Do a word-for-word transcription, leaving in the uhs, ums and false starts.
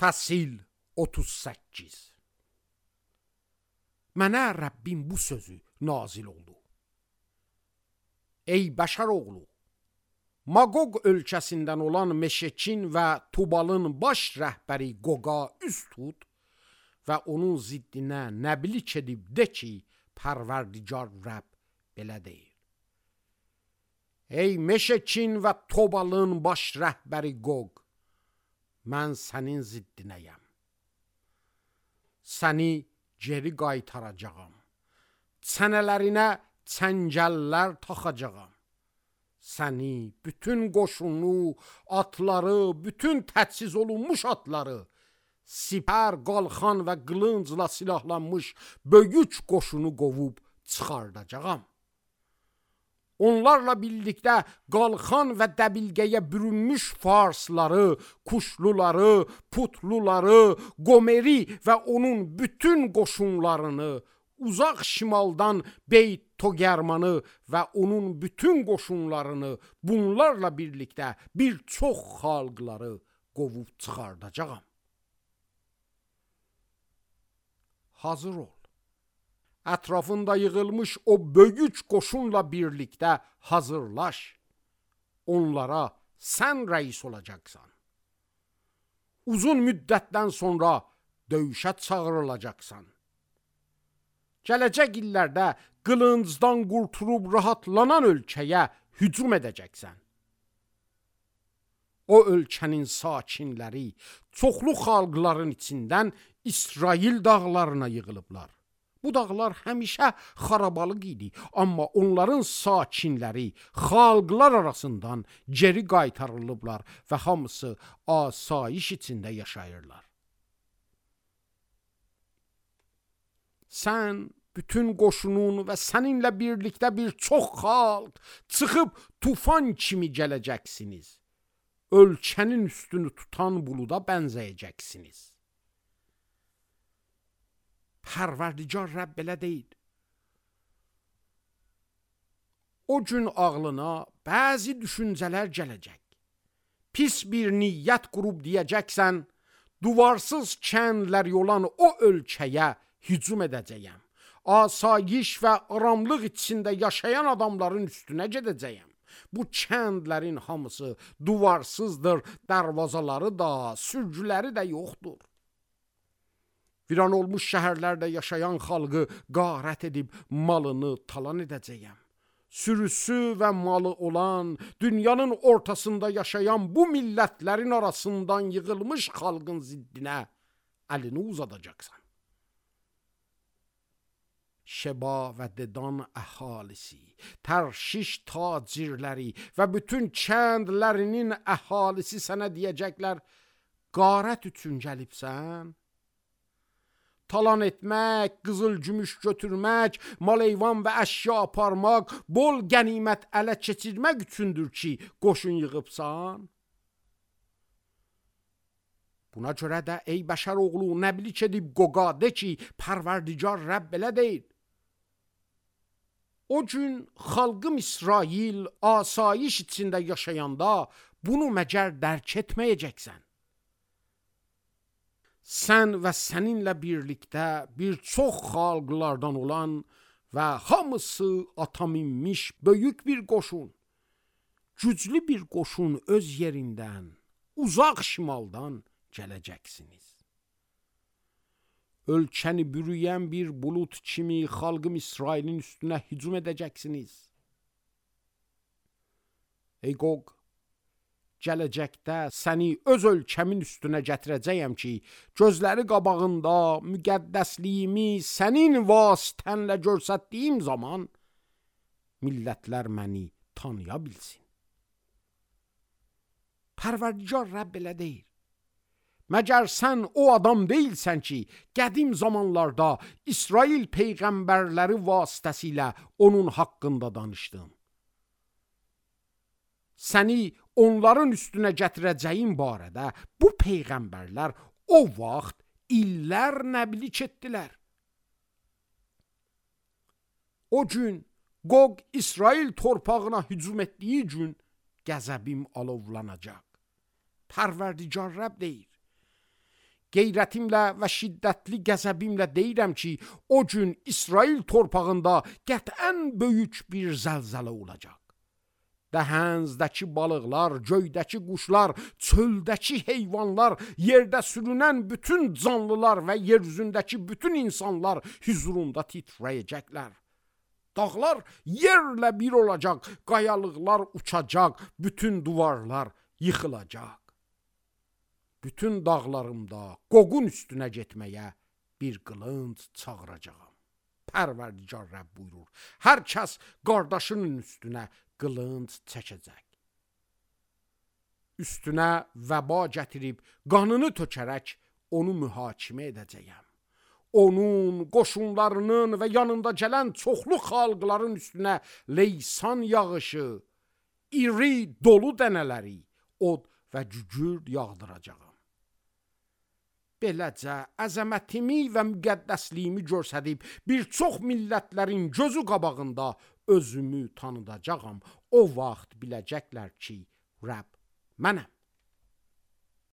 Fəsil otuz səkkiz. Mənə Rəbbim bu sözü nazil oldu. Ey bəşər oğlu, Maqoq ölkəsindən olan Meşekin və Tubalın baş rəhbəri Qoqa üst tut və onun ziddinə nəbilik edib de ki, Pərverdigar Rəbb belə deyir. Ey Meşekin və Tubalın baş rəhbəri Qoq, mən sənin ziddinəyəm. Səni geri qaytaracağam. Çənələrinə çəngəllər taxacağam. Səni, bütün qoşunu, atları, bütün təchiz olunmuş atları, sipər, qalxan və qılıncla silahlanmış böyük qoşunu qovub çıxardacağam. Onlarla birlikdə qalxan və dəbilqəyə bürünmüş farsları, kuşluları, putluları, Qomeri və onun bütün qoşunlarını, uzaq şimaldan Beyt Togermanı və onun bütün qoşunlarını, bunlarla birlikdə bir çox xalqları qovub çıxardacağam. Hazır ol. Ətrafında yığılmış o böyük qoşunla birlikdə hazırlaş. Onlara sən rəis olacaqsan. Uzun müddətdən sonra döyüşə çağırılacaqsan. Gələcək illərdə qılıncdan qurtulub rahatlanan ölkəyə hücum edəcəksən. O ölkənin sakinləri çoxlu xalqların içindən İsrail dağlarına yığılıblar. Bu dağlar həmişə xarabalıq idi, amma onların sakinləri xalqlar arasından geri qaytarılıblar və hamısı asayiş içində yaşayırlar. Sən, bütün qoşunun və səninlə birlikdə bir çox xalq çıxıb tufan kimi gələcəksiniz. Ölkənin üstünü tutan buluda bənzəyəcəksiniz. Pərverdigar Rəbb belə deyir. O gün ağlına bəzi düşüncələr gələcək. Pis bir niyyət qurub deyəcəksən, duvarsız kəndlər olan o ölkəyə hücum edəcəyəm. Asayiş və aramlıq içində yaşayan adamların üstünə gedəcəyəm. Bu kəndlərin hamısı duvarsızdır, darvazaları da, sürgüləri də yoxdur. Viran olmuş şəhərlərdə yaşayan xalqı qarət edib malını talan edəcəyəm. Sürüsü və malı olan, dünyanın ortasında yaşayan bu millətlərin arasından yığılmış xalqın ziddinə əlini uzadacaqsan. Şeba və Dedan əhalisi, Tərşiş tacirləri və bütün kəndlərinin əhalisi sənə deyəcəklər, qarət üçün gəlibsən? Talan etmək, qızıl gümüş götürmək, mal heyvan və əşya aparmaq, bol qənimət ələ keçirmək üçündür ki, qoşun yığıbsan? Buna görə də ey bəşər oğlu, nəbilik edib Qoqa de ki, Pərverdigar Rəbb belə deyir. O gün xalqım İsrail asayiş içində yaşayanda bunu məgər dərk etməyəcəksən. Sən və səninlə birlikdə bir çox xalqlardan olan və hamısı ata minmiş böyük bir qoşun, güclü bir qoşun öz yerindən, uzaq şimaldan gələcəksiniz. Ölkəni bürüyən bir bulut kimi xalqım İsrailin üstünə hücum edəcəksiniz. Ey Qoq, gələcəkdə səni öz ölkəmin üstünə gətirəcəyəm ki, gözləri qabağında müqəddəsliyimi sənin vasitənlə görsətdiyim zaman millətlər məni tanıya bilsin. Pərverdigar Rəbb belə deyir. Məgər sən o adam deyilsən ki, qədim zamanlarda İsrail peyğəmbərləri vasitəsilə onun haqqında danışdın. Səni onların üstünə gətirəcəyin barədə bu peyğəmbərlər o vaxt illər nəbilik etdilər. O gün Qoq İsrail torpağına hücum etdiyi gün qəzəbim alovlanacaq. Pərverdigar Rəbb deyir. Qeyrətimlə və şiddətli qəzəbimlə deyirəm ki, o gün İsrail torpağında qətən böyük bir zəlzələ olacaq. Dəhəndəki balıqlar, göydəki quşlar, çöldəki heyvanlar, yerdə sürünən bütün canlılar və yer üzündəki bütün insanlar hüzurunda titrəyəcəklər. Dağlar yerlə bir olacaq, qayalıqlar uçacaq, bütün divarlar yıxılacaq. Bütün dağlarımda qoqun üstünə getməyə bir qılınc çağıracağam. Pərverdigar Rəbb buyurur. Hər kəs qardaşının üstünə qılınc çəkəcək. Üstünə vəba gətirib qanını tökərək onu mühakimə edəcəyəm. Onun, qoşunlarının və yanında gələn çoxlu xalqların üstünə leysan yağışı, iri dolu dənələri, od və cücür yağdıracağam. Beləcə əzəmətimi və müqəddəsliyimi göstərib bir çox millətlərin gözü qabağında özümü tanıdacağam. O vaxt biləcəklər ki, Rəbb mənəm.